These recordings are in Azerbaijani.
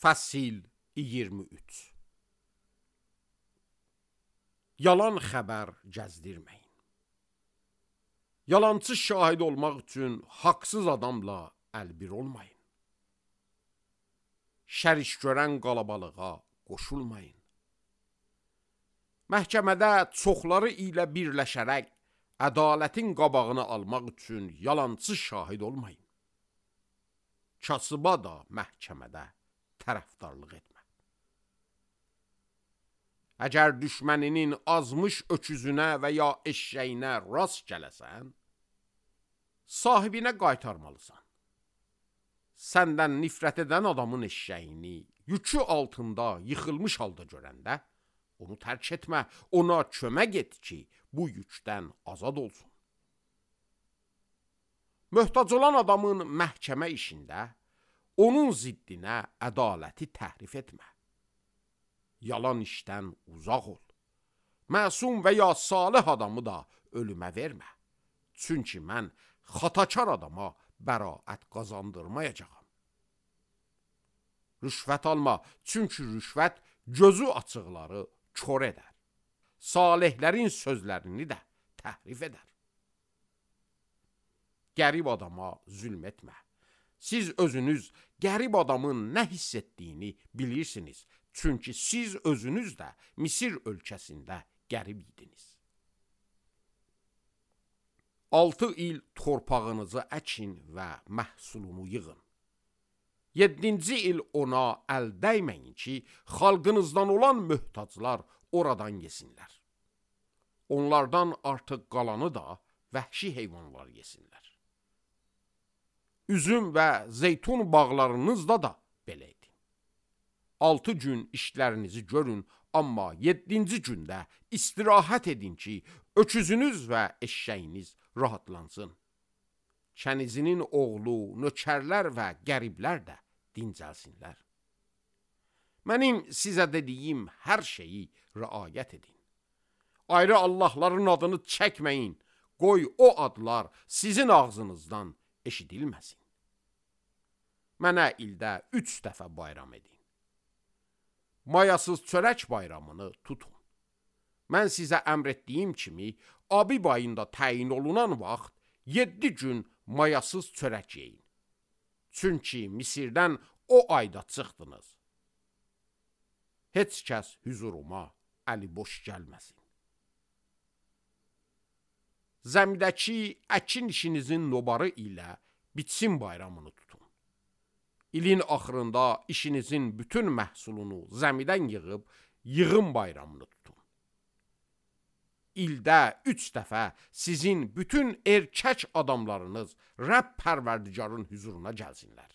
Fəsil 23. Yalan xəbər gəzdirməyin. Yalancı şahid olmaq üçün haqsız adamla əlbir olmayın. Şəriş görən qalabalığa qoşulmayın. Məhkəmədə çoxları ilə birləşərək ədalətin qabağını almaq üçün yalancı şahid olmayın. Kasıba da məhkəmədə tərəfdarlıq etmə. Əgər düşməninin azmış öküzünə və ya eşşəyinə rast gələsən, sahibinə qaytarmalısan. Səndən nifrət edən adamın eşşəyini yükü altında yıxılmış halda görəndə, onu tərk etmə, ona kömək et ki, bu yükdən azad olsun. Möhtac olan adamın məhkəmə işində, onun ziddinə ədaləti təhrif etmə. Yalan işdən uzaq ol. Məsum və ya salih adamı da ölümə vermə. Çünki mən xatakar adama bəraət qazandırmayacağam. Rüşvət alma, çünki rüşvət gözü açıqları kör edər. Salihlərin sözlərini də təhrif edər. Qərib adama zülm etmə. Siz özünüz qərib adamın nə hiss etdiyini bilirsiniz. Çünki siz özünüz də Misir ölkəsində qərib idiniz. 6 il torpağınızı əkin və məhsulunu yığın. 7-ci il ona əl dəyməyin ki, xalqınızdan olan möhtaclar oradan yesinlər. Onlardan artıq qalanı da vəhşi heyvanlar yesinlər. Üzüm və zeytun bağlarınızda da belə edin. 6 gün işlərinizi görün, amma 7-ci gündə istirahət edin ki, öküzünüz və eşşəyiniz rahatlansın. Kənizinin oğlu, nökərlər və qəriblər də dincəlsinlər. Mənim sizə dediyim hər şeyi riayət edin. Ayrı Allahların adını çəkməyin, qoy o adlar sizin ağzınızdan eşidilməsin. Mənə ildə 3 dəfə bayram edin. Mayasız çörək bayramını tutun. Mən sizə əmr etdiyim kimi, Abib ayında təyin olunan vaxt 7 gün mayasız çörək yeyin. Çünki Misirdən o ayda çıxdınız. Heç kəs hüzuruma əli boş gəlməsin. Zəmidəki əkin işinizin nobarı ilə biçim bayramını tutun. İlin axırında işinizin bütün məhsulunu zəmidən yığıb, yığım bayramını tutun. İldə 3 dəfə sizin bütün erkək adamlarınız Rəbb Pərverdigarın hüzuruna gəlsinlər.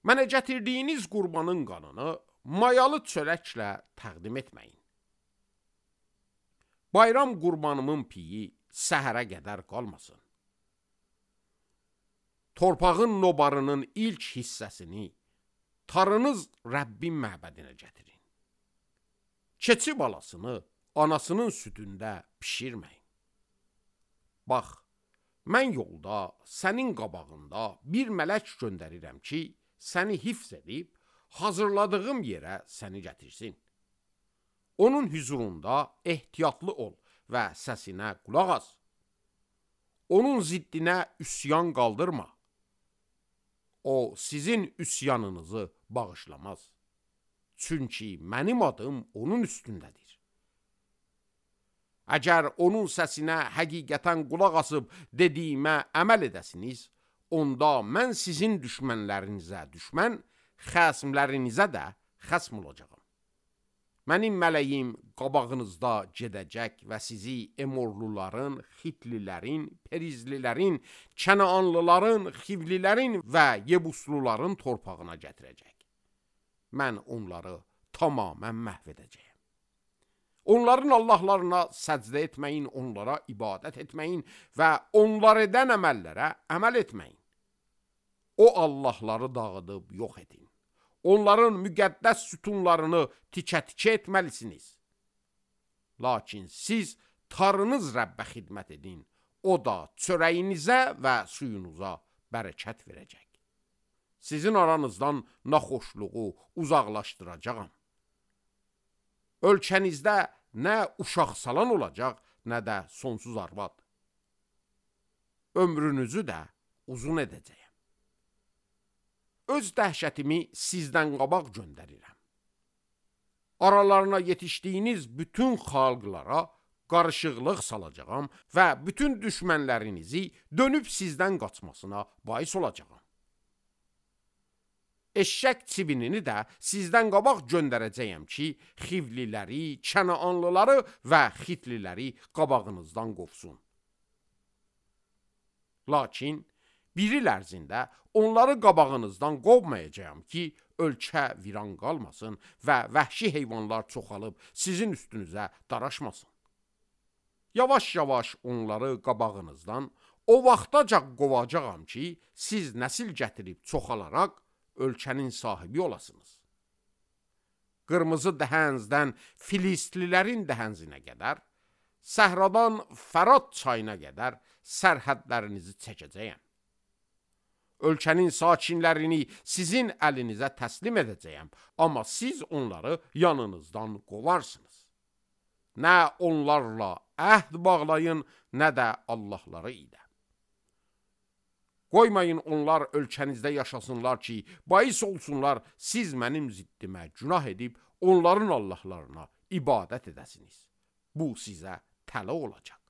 Mənə gətirdiyiniz qurbanın qanını mayalı çörəklə təqdim etməyin. Bayram qurbanımın piyi səhərə qədər qalmasın. Torpağın nobarının ilk hissəsini tarınız Rəbbin məbədinə gətirin. Keçi balasını anasının südündə pişirməyin. Bax, mən yolda sənin qabağında bir mələk göndərirəm ki, səni hifz edib, hazırladığım yerə səni gətirsin. Onun hüzurunda ehtiyatlı ol və səsinə qulaq as. Onun ziddinə üsyan qaldırma. O, sizin üsyanınızı bağışlamaz. Çünki mənim adım onun üstündədir. Əgər onun səsinə həqiqətən qulaq asıb dediyimə əməl edəsiniz, onda mən sizin düşmənlərinizə düşmən, xəsmlərinizə də xəsm olacağım. Mənim mələyim qabağınızda gedəcək və sizi Emorluların, Xitlilərin, Perizlilərin, Kənaanlıların, Xivlilərin və Yebusluların torpağına gətirəcək. Mən onları tamamən məhv edəcəyəm. Onların Allahlarına səcdə etməyin, onlara ibadət etməyin və onlar edən əməllərə əməl etməyin. O Allahları dağıdıb yox edin. Onların müqəddəs sütunlarını tikə-tikə etməlisiniz. Lakin siz tarınız Rəbbə xidmət edin, o da çörəyinizə və suyunuza bərəkət verəcək. sizin aranızdan naxoşluğu uzaqlaşdıracağam. Ölkənizdə nə uşaq salan olacaq, nə də sonsuz arvad. Ömrünüzü də uzun edəcəyəm. Öz dəhşətimi sizdən qabaq göndərirəm. Aralarına yetişdiyiniz bütün xalqlara qarışıqlıq salacağam və bütün düşmənlərinizi dönüb sizdən qaçmasına bais olacağam. Eşşək çibinini də sizdən qabaq göndərəcəyəm ki, Xivliləri, Kənaanlıları və Xitliləri qabağınızdan qovsun. Lakin bir il ərzində onları qabağınızdan qovmayacağam ki, ölkə viran qalmasın və vəhşi heyvanlar çoxalıb sizin üstünüzə daraşmasın. Yavaş-yavaş onları qabağınızdan o vaxtaca qovacağam ki, siz nəsil gətirib çoxalaraq ölkənin sahibi olasınız. Qırmızı dəhənzdən Filistlilərin dəhənzinə qədər, səhradan Fərat çayına qədər sərhədlərinizi çəkəcəyəm. Ölkənin sakinlərini sizin əlinizə təslim edəcəyəm, amma siz onları yanınızdan qovarsınız. Nə onlarla əhd bağlayın, nə də Allahları ilə. Qoymayın onlar ölkənizdə yaşasınlar ki, bais olsunlar, siz mənim ziddimə günah edib onların Allahlarına ibadət edəsiniz. Bu sizə tələ olacaq.